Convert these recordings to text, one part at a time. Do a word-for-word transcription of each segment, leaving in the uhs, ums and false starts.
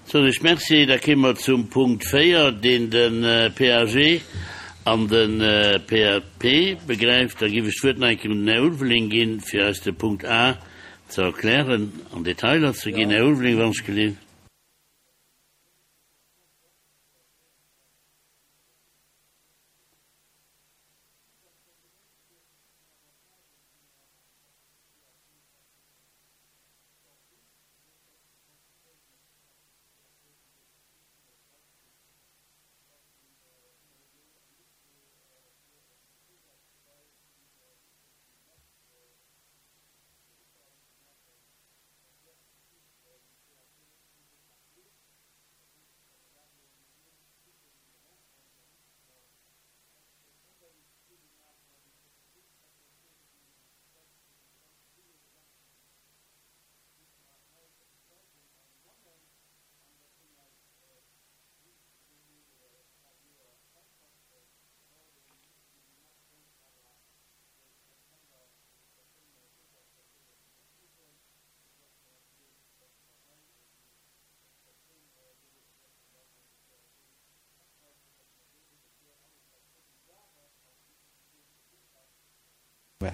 Soen ech Merci. Da kéime mer zum Punkt véier, deen de P A G an de P A P begräift. Da géif ech d'Wuert nach eng Kéier un den Här Ulveling ginn, fir eis de Punkt A ze erklären an Detailer ze ginn. Här Ulveling, wann ech gelift.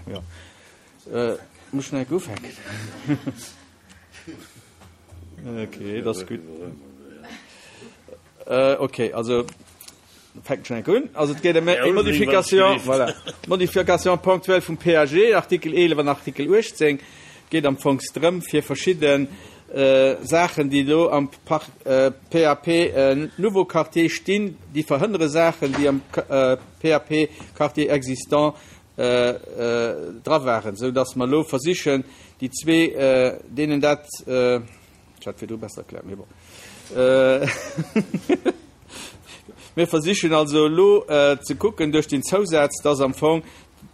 Jo. Muss ech nach eng Kéier ufänken? Okay, dat ass gutt. Okay, also fänken ech nach eng Kéier un. Also et geet ëm eng Modification, voilà, Modification ponctuelle vum P A G, Artikel eelef an Artikel uechtzéng. Et geet am Fong drëm, fir verschidde Saachen, déi elo am P A P Nouveau Quartier stinn, déi verhënnere Saachen, déi am P A P Quartier existant dra waren, sou dass mer elo versichen, déi zwee, deenen dat, ech hat virdru besser erkläert, mee bon. Mir versichen also elo ze kucken duerch den Zousaz, dass am Fong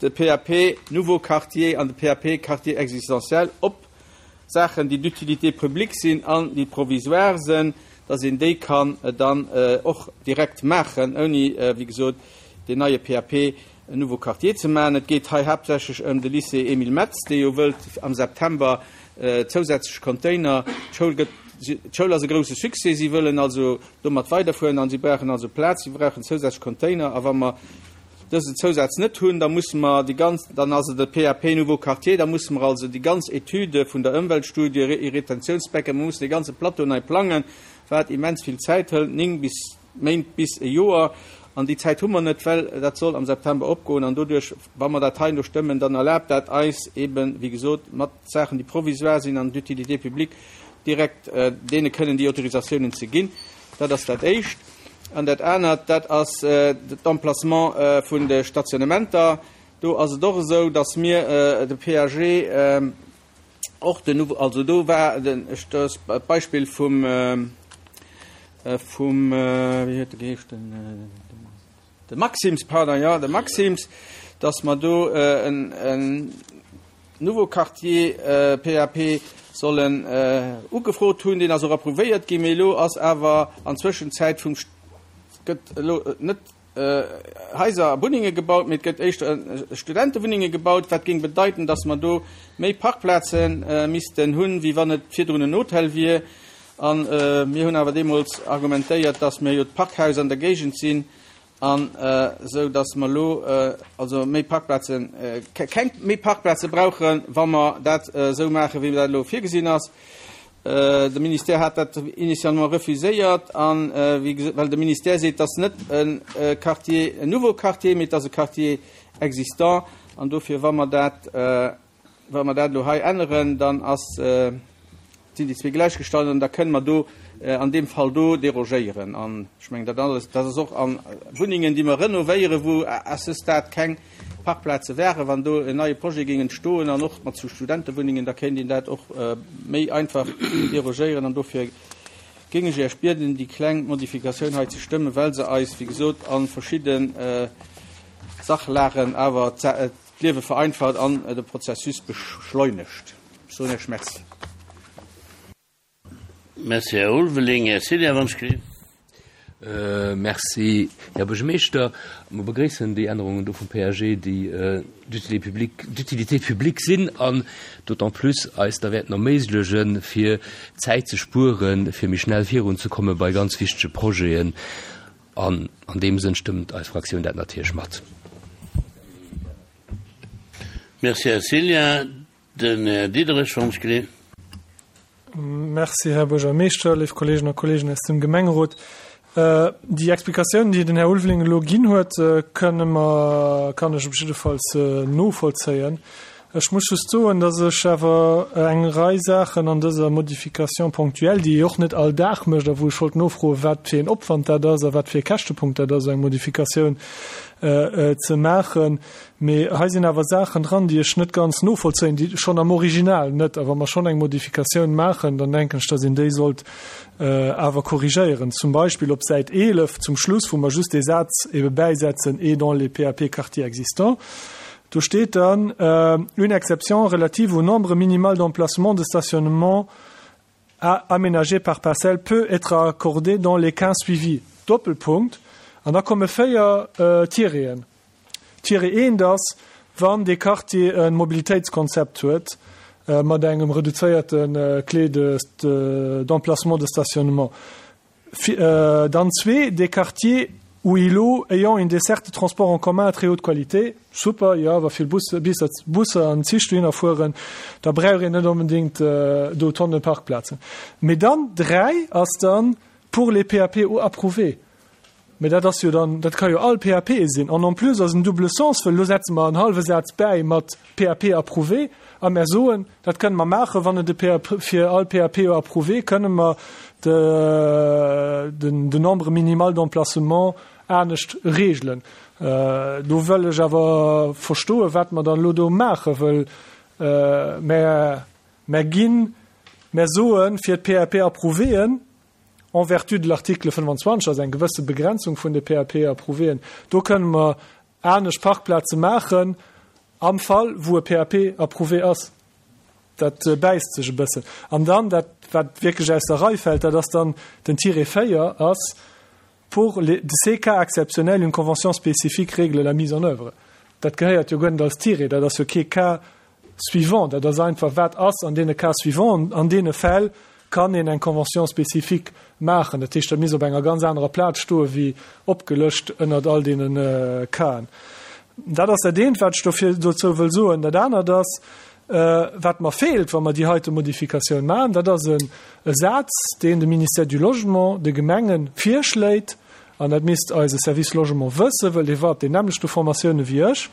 de P A P Nouveau Quartier an de P A P Quartier existentiel op Saachen, déi d'utilité publique sinn an déi provisoire sinn, dass een déi kann dann och direkt maachen, ouni, wéi gesot, deen neie P A P Nouveau Quartier ze maachen. Et geet hei haaptsächlech ëm de Lycée Émile Metz, dee jo wëllt am September zousätzlech Container. D'Schoul gëtt, d'Schoul ass e grouse Succès, si wëllen also domat weiderfueren an si brauchen also Plaz, si brauchen zousätzlech Container. A wa mer dësen Zousaz net hunn, da musse mer déi ganz, dann ass et de P A P Nouveau Quartier, da musse mer also déi ganz Etüde vun der Ëmweltstudie, Retentiounsbecken, mer mussen dee ganze Plateau nei plangen, wat immens vill Zäit hëlt, néng bis Méint bis e Joer. An déi Zäit hu mer net, well dat soll am September opgoen. An doduerch, wa mer dat hei elo stëmmen, dann erlaabt dat eis eeben, wéi gesot, mat Saachen, déi provisoire sinn an d'utilité publique, direkt deene kënnen déi Autorisatiounen ze ginn. Dat ass dat Éischt. An dat anert, dat ass d'Emplacement vun de Stationnementer. Do ass et och esou, dass mir de P A G och den, also do war den, ech, dat ass d'Beispill vum, vum, wéi huet e geheescht, den, de Maxims, pardon, jo, de Maxims, dass mer do en, en Nouveau Quartier P A P sollen ugefrot hunn. Deen ass och approuvéiert ginn, mee elo ass awer an Zwëschenzäit vum, gëtt elo net Haiser a Wunnenge gebaut, mee et gëtt éischter Studentewunnenge gebaut, wat géing bedeiten, dass mer do méi Parkplaze missten hunn, wéi wann et virdrun en Hotel wier. A mir hunn awer deemools argumentéiert, dass mir jo d'Parkhaus an der Géigend sinn, an esou dass mer elo also méi Parkplazen, keng méi Parkplaze brauchen, wa mer dat esou maachen, wéi dat elo virgesinn ass. De Ministère hat dat initialement refuséiert, an well de Ministère seet, dass net e Quartier, en nouveau Quartier, mee et ass e Quartier existant. An dofir, wa mer dat, wa mer dat elo hei änneren, dann ass, sinn déi zwee gläichgestallt an da kënne mer do an deem Fall do derogéieren. An ech mengen, dat alles, dat ass och a Wunnengen, déi mer renovéieren, wou à ce stade keng Parkplaze wären, wann do en neie Projet géing entstoen an och mat zu Studentewunnengen, da kéint een dat och méi einfach derogéieren. An dofir géing ech Iech bieden, déi kleng Modifikatioun hei ze stëmmen, well se eis, wéi gesot, a verschidde Sachlagen awer d'Liewe vereinfacht an de Prozessus beschleunegt. Ech soen Iech Merci. Merci, Här Ulveling. Här Cilla, wann ech gelift. Äh, merci, Här Buergermeeschter. Mir begréissen déi Ännerungen do vum P A G, déi äh, d'utilité publique, d'utilité publique sinn an d'autant plus eis da wäerten erméiglechen, fir Zäit ze spueren, fir méi schnell virunzekomme bei ganz wichtege Projeten. An an deem Sënn stëmmt eis Fraktioun dat natierlech mat. Merci, Här Cilla. Den Här Diederich vum Skri. Merci, Här Buergermeeschter, léif Kolleegen a Kolleginnen aus dem Gemengerot. Äh, déi Explikatioun, déi den Här Ulveling elo ginn huet, äh, kënne mer, kann ech op jiddefalls äh, novollzéien. Ech muss just soen, dass ech awer eng Rei Saachen an dëser Modification ponctuelle, déi och net all Dag mécht, a wou ech wollt nofroen, wat fir en Opwand dat ass a wat fir e Käschtepunkt dat ass, eng Modifikatioun äh, äh, ze maachen. Mee hei sinn awer Saachen dran, déi ech net ganz novollzéien, déi schonn am Original net, awer wa mer schonn eng Modifikatioun maachen, dann denken ech, dass een déi sollt äh, awer korrigéieren. Zum Beispill op Säit eelef zum Schluss, wou mer just de Saz ebe bäisetzen et dans les P A P quartiers existants. Do steet dann äh, une exception relative au nombre minimal d'emplacements de stationnement à aménager par parcelle peut être accordée dans les cas suivis. Doppelpunkt. An da komme véier äh, Tireten. Tiret eent ass, wann de Quartier e Mobilitéitskonzept huet, äh, mat engem reduzéierten äh, Clé de, de, d'emplacement de stationnement. Fi, äh, dann zwee, des quartiers ou îlots ayant une desserte de transport en commun à très haute qualité. Super, ja, wa vill Bus, Bis, Busser an Zich dohinner fueren, da brauch een net onbedéngt äh, do Tonne Parkplazen. Mee dann dräi ass dann pour les P A P approuvés. Mee dat ass jo dann, dat ka jo all P A P sinn. An en plus ass en double sens, well lo setze mer en hallwe Saz bäi mat P A P approuvé, a mer soen, dat kënne mer maachen, wann et de P A P, fir all P A P approuvé, kënne mer de, den, den Nombre minimal d'emplacement anescht regelen. Äh, do wëll ech awer verstoen, wat mer dann lo do maache, well äh, mer, mer ginn, mer soen fir d'P A P approuvéen, en vertu de l'article fënnefanzwanzeg, also eng gewësse Begrenzung vun de P A P approuvéen, do kënne mer anescht Parkplaze maachen, am Fall, wou e P A P approuvé ass. Dat äh, bäisst sech e bëssen. An dann, dat, wat wierklech aus der Rei fält, dat ass dann den Tiret véier ass, pour les, ces cas exceptionnels, une convention spécifique règle la mise en œuvre. Dat gehéiert jo guer net als Tiret, dat ass jo kee Cas suivant, dat ass einfach wat ass an deene Cas suivant, an deene Fäll kann een eng Convention spécifique maachen. Dat heescht, dat misst op enger ganz anerer Plaz stoen, wéi opgelëscht ënnert all deenen äh, Casen. Dat ass dat eent, wat ech dofir dozou wëll soen. Dat anert ass, äh, wat mer feelt, wa mer déi heite Modifikatioun maachen, dat ass en e Saz, deen de Ministère du Logement de Gemengen virschléit, an dat misst eise Service Logement wëssen, well dee war op den nämmlechte Formatioune wéi ech,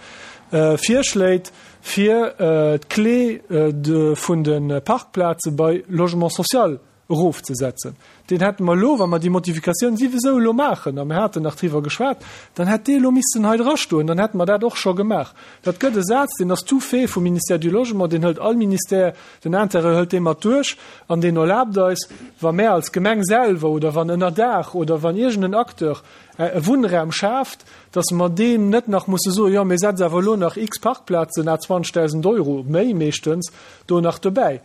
äh, virschléit fir äh, d'Clé äh, de, vun de Parkplaze bei Logement social erofzesetzen. Deen hätte mer lo, wa mer déi Modifikatioun souwisou lo maachen, a mir haten nach driwwer geschwat, dann hätt dee lo missen hei drastoen, dann hätte mer dat och scho gemaach. Dat gëtt e Saz, deen ass tout fait vum Ministère du Logement, deen hëlt all Ministère, den Intérieur hëlt dee mat duerch, an deen erlaabt eis, wa mer als Gemeng selwer oder wann ënnerdaach oder wann iergendeen Acteur äh, e Wunnraum schaaft, dass mer deem net nach musse soen, jo, mir setze awer lo nach x Parkplazen à zwanzegdausend Euro, méi meeschtens, do nach dobäi.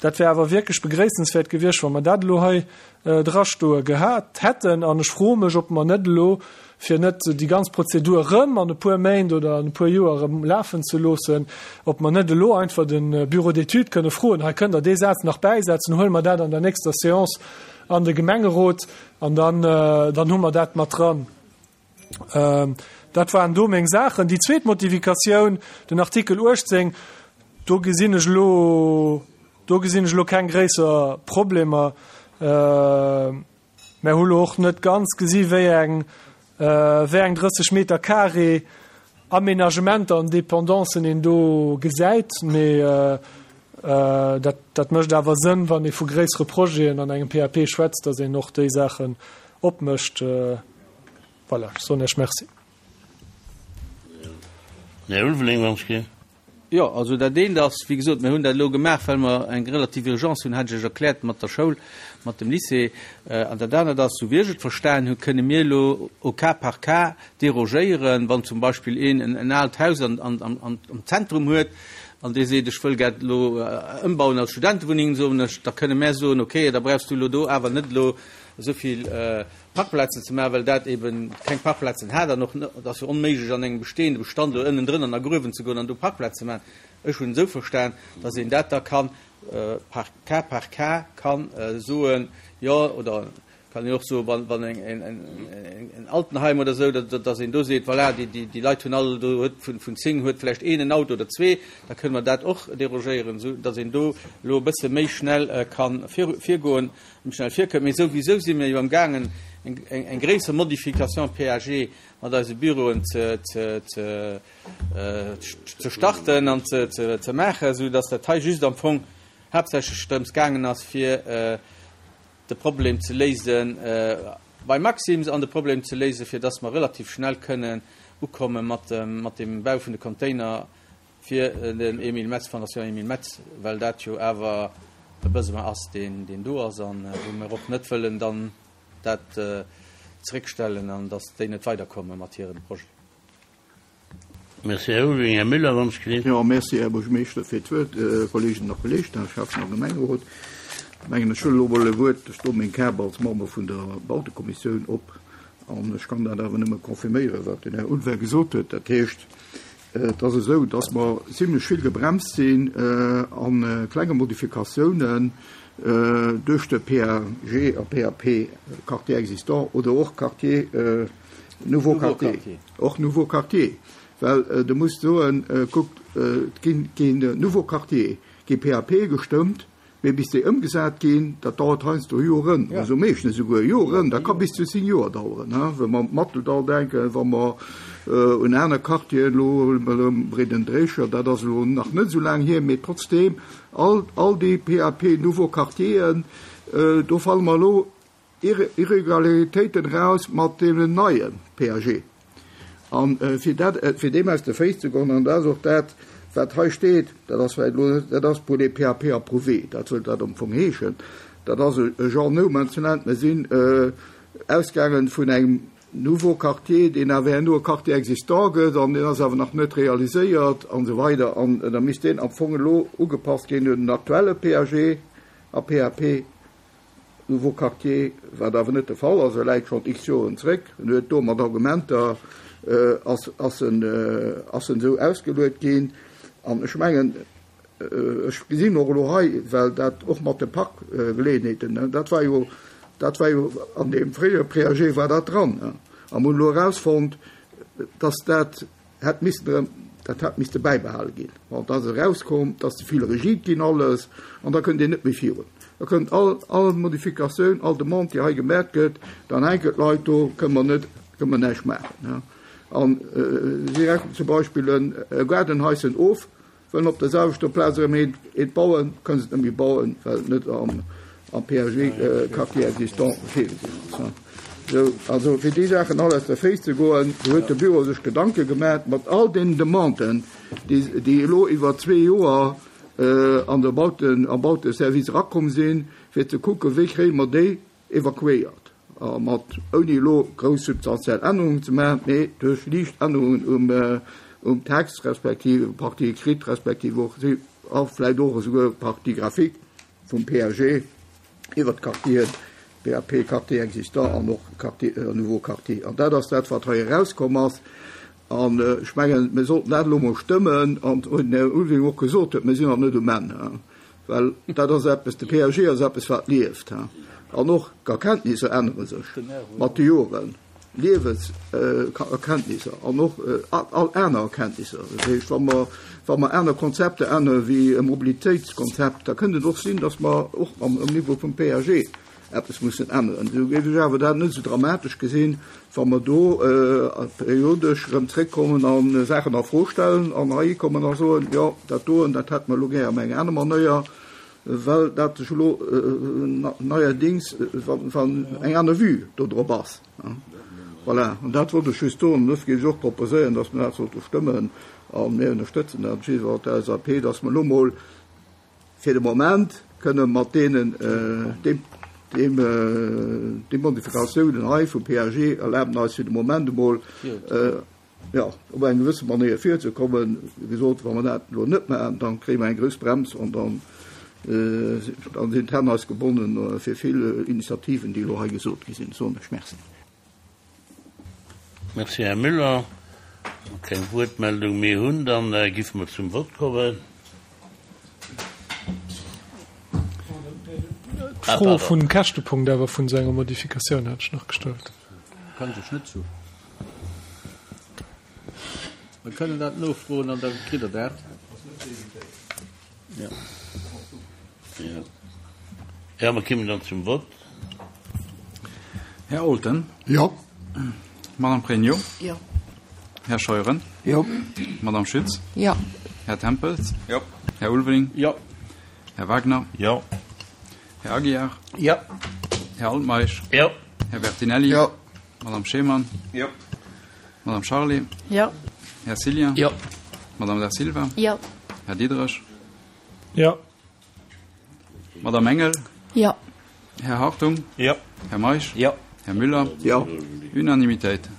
Dat wär awer wierklech begréissenswäert gewiescht, wa mer dat lo hei äh, drastoe gehat hätten, an ech froe mech, ob mer net lo fir net déi ganz Prozedur rëm an e puer Méint oder an e puer Joer erëm lafen ze loossen, ob mer net lo einfach den äh, Bureau d'études kënne froen, hei kënnt der dee Saz nach bäisetzen, huele mer dat an der nächster Séance an de Gemengerot an dann, äh, dann hu mer dat mat dran. Ähm, dat waren do meng Saachen. Déi zweet Modifikatioun, den Artikel uechtzéng, do gesinn ech lo do gesinn ech lo keng gréisser Problemer. Äh, mer hu lo och net ganz gesi wéi eng äh, wéi eng drësseg Meter Carré Aménagementer an Dependancen een do gesäit, mee äh, äh, dat, dat mécht awer Sënn, wann ee vu gréissere Projeten an engem P A P schwätzt, dass een och déi Saachen opmécht. Äh, voilà, soen ech Merci. Här Ulveling, wann ech Jo, also dat eent ass, wéi gesot, mir hunn dat lo gemaach, well mer eng relativ Urgence hunn, hat ech erkläert mat der Schoul, mat dem Lycée. Äh, an dat anert ass, sou wéi ech et verstan hunn, kënne mir lo au cas par cas derogéieren, wann zum Beispill een en, en aalt Haus an, an, an, am Zentrum huet, an dee seet, ech wëll gär elo ëmbauen als Studentewunneng, soen ech, da kënne mär soen, okay, da brauchs du elo do awer net elo esou vill Parkplazen ze maachen, well dat eben keng Parkplazen hat an och, et ass jo onméiglech an engem bestehende Bestand elo ënnendrënn an a Gruewen ze goen an do Parkplaze ze maachen. Ech hunn esou verstan, dass een dat da kann par cas par cas kann soen, jo, oder kann een och soen, wann, wann eng, en, en, en Altenheim oder esou, datt een do seet, voilà, déi, déi, déi Leit hunn all, do huet vun, vun zéng huet vläicht een en Auto oder zwee, da kënne mer dat och derogéieren, esou datt een do elo e bësse méi schnell ka vir, virgoen, méi schnell virkënnt. Mee souwisou si mir jo amgaangen, eng, eng, eng gréisser Modification P A G mat eise Büroen ze, ze, ze, ze starten an ze, ze, ze maachen, esou datt dat hei just am Fong haaptsächlech drëms gaangen ass, fir de Problem ze léisen bei Maxim's an de Problem ze léisen, fir dass mer relativ schnell kënnen ukomme mat mat dem Bau vun de Container fir den Emile Metz, Fondation Emile Metz, well dat jo awer e Besoin ass, deen deen do ass an wou mer och net wëllen dann dat zréckstellen an dass déi net weiderkomme mat hirem Projet. Merci, Här Ulveling. Här Müller, wann ech geleet. Jo, merci, Här Buergermeeschter, fir d'Wuert. Kolleeginnen a Kolleegen, Här Schäffen a Gemengerot. Ech mengen, ech huelen elo emol e Wuert, ech doe meng Kap als Member vun der Bautekommissioun op an ech kann dat awer nëmme confirméieren, wat den Här Ulveling gesot huet. Dat heescht, et ass esou, dass mer zimlech vill gebremst sinn a klenge Modifikatiounen duerch de P A G a P A P, Quartier existant oder och Quartier, nouveau quartier, och nouveau quartier. Well de muss soen, kuckt, et ginn keen nouveau quartier, gi P A P gestëmmt, mee bis déi ëmgesat ginn, dat dauert heiansdo Joren, also meeschtens esouguer Joren, dat ka bis zu zéng Joer daueren, wa mer un d'Matteldall denken, wa mer un aner Quartieren, elo Breeden-Dréicher, dat ass elo nach net esou laang hier, mee trotzdeem, all, all déi P A P nouveaux Quartieren, do falle mer elo Irregularitéiten eraus mat deenen neie P A G. A fir dat, fir deem aus de Féiss ze goen, an dat ass och dat, wat hei steet, dat ass vläicht elo net, dat ass pour les P A P approuvés, dat wëllt dat am Fong heeschen, dat ass e genre no man's land. Mir sinn ausgaangen vun engem nouveau quartier, deen awer herno e Quartier existant gëtt, an deen ass awer nach net realiséiert an esou weider, an da misst deen am Fong elo ugepasst ginn un den aktuelle P A G a P A P nouveau quartier, wat awer net de Fall ass. E läit schonn x Joren zréck en huet do mat Argumenter ass ass en ass en esou ausgeluet ginn. An ech mengen, ech gesinn och elo hei, well dat och mat de Parkgeleeënheeten, dat war jo, dat war jo an deem fréiere P A G war dat dran. A mer hunn elo erausfonnt, dass dat hätt missen erëm, dat hätt misste bäibehale ginn. Bon, da ass erauskomm, et ass ze vill rigid ginn alles an da kënnt een net méi virun. Da kënnt all, all Modifikatioun, all Demande, déi hei gemat gëtt, dann hänken d'Leit do, kënne mer net, kënne mer näischt maachen. An si rechnen zum Beispill e Gaardenhaischen of, wëllen op der selwechter Plaz erëm eent, eent bauen, kënnen se et net méi bauen, well et net am, am P A G Quartier existant virgesinn ass. Sou, also fir déi Saachen all aus der Féiss ze goen, do huet de Büro sech Gedanke gemaach mat all deenen Demanden, déi, déi elo iwwer zwee Joer an der Bauten, am Bauteservice erakomm sinn, fir ze kucken, wéi kréie mer déi evakuéiert. A mat, ouni elo grouss substantiell Ännerungen ze maachen, mee duerch liicht Ännerungen um, um Text respektiv Partie écrite respektiv och, a vläicht och esouguer Partie graphique vum P A G iwwer d'Quartieren, P A P, Quartier existant an och Quartier, nouveau quartier. An dat ass dat, wat hei erauskomm ass. An ech mengen, mir sollten dat elo mol stëmmen. An den Här Ulveling och gesot huet, mir sinn nach net um Enn, well dat ass eppes, de P A G ass eppes, wat lieft. An och d'Erkenntnisser ännere sech mat de Joren, Liewenserkenntnisser an och all aner Erkenntnisser. Dat heescht, wa mer, wa mer aner Konzepter ännere wéi e Mobilitéitskonzept, da kënnt et och sinn, datt mer och am Niveau vum P A G eppes mussen änneren. Esou géif ech awer dat net esou dramatesch gesinn, wa mer do periodesch erëm zréckkommen a Saachen a Fro stellen an heihikommen a soen, jo, dat doen, dat hätte mer elo gär op eng aner Manéier, well dat sech elo neierdings, wann eng aner Vue do drop ass. Voilà, an dat wollt ech just soen. An dofir géif ech och proposéieren, datt mer dat sollte stëmmen, a mir ënnerstëtzen dat op jidde Fall, d'L S A P, datt mer elo mol fir de Moment kënne mat deenen, deem, deem, déi Modifikatiounen hei vum P A G erlaben eis fir de Moment emol jo, op eng gewësse Manéier virzekommen. Wéi gesot, wa mer dat elo net maachen, da kréie mer eng grouss Brems an dann, dann sinn d'Hänn eis gebonnen fir vill Initiativen, déi elo hei gesot gi sinn, soen ech Merci. Merci, Här Müller. Wa mer keng Wuertmeldung méi hunn, da giffe mer zum Vott kommen. D'Fro vum Käschtepunkt awer vun esou enger Modifikatioun hat ech nach gestallt. Kann ech net zu. Mer kënnen dat nofroen an da kritt Der dat. Jo. Jo, mer kommen dann zum Vott. Här Olten. Jo. Madame Pregno. Jo. Här Scheuren. Jo. Madame Schütz. Jo. Här Tempels. Jo. Här Ulveling. Jo. Här Wagner. Jo. Här Aguiar. Jo. Här Altmeisch. Jo. Här Bertinelli. Jo. Madame Schemann. Jo. Madame Charlé. Jo. Här Cillien. Jo. Madame Da Silva. Jo. Här Diderich. Jo. Madame Engel. Jo. Här Hartung. Jo. Här Meisch. Jo. Här Müller. Jo. Unanimitéit.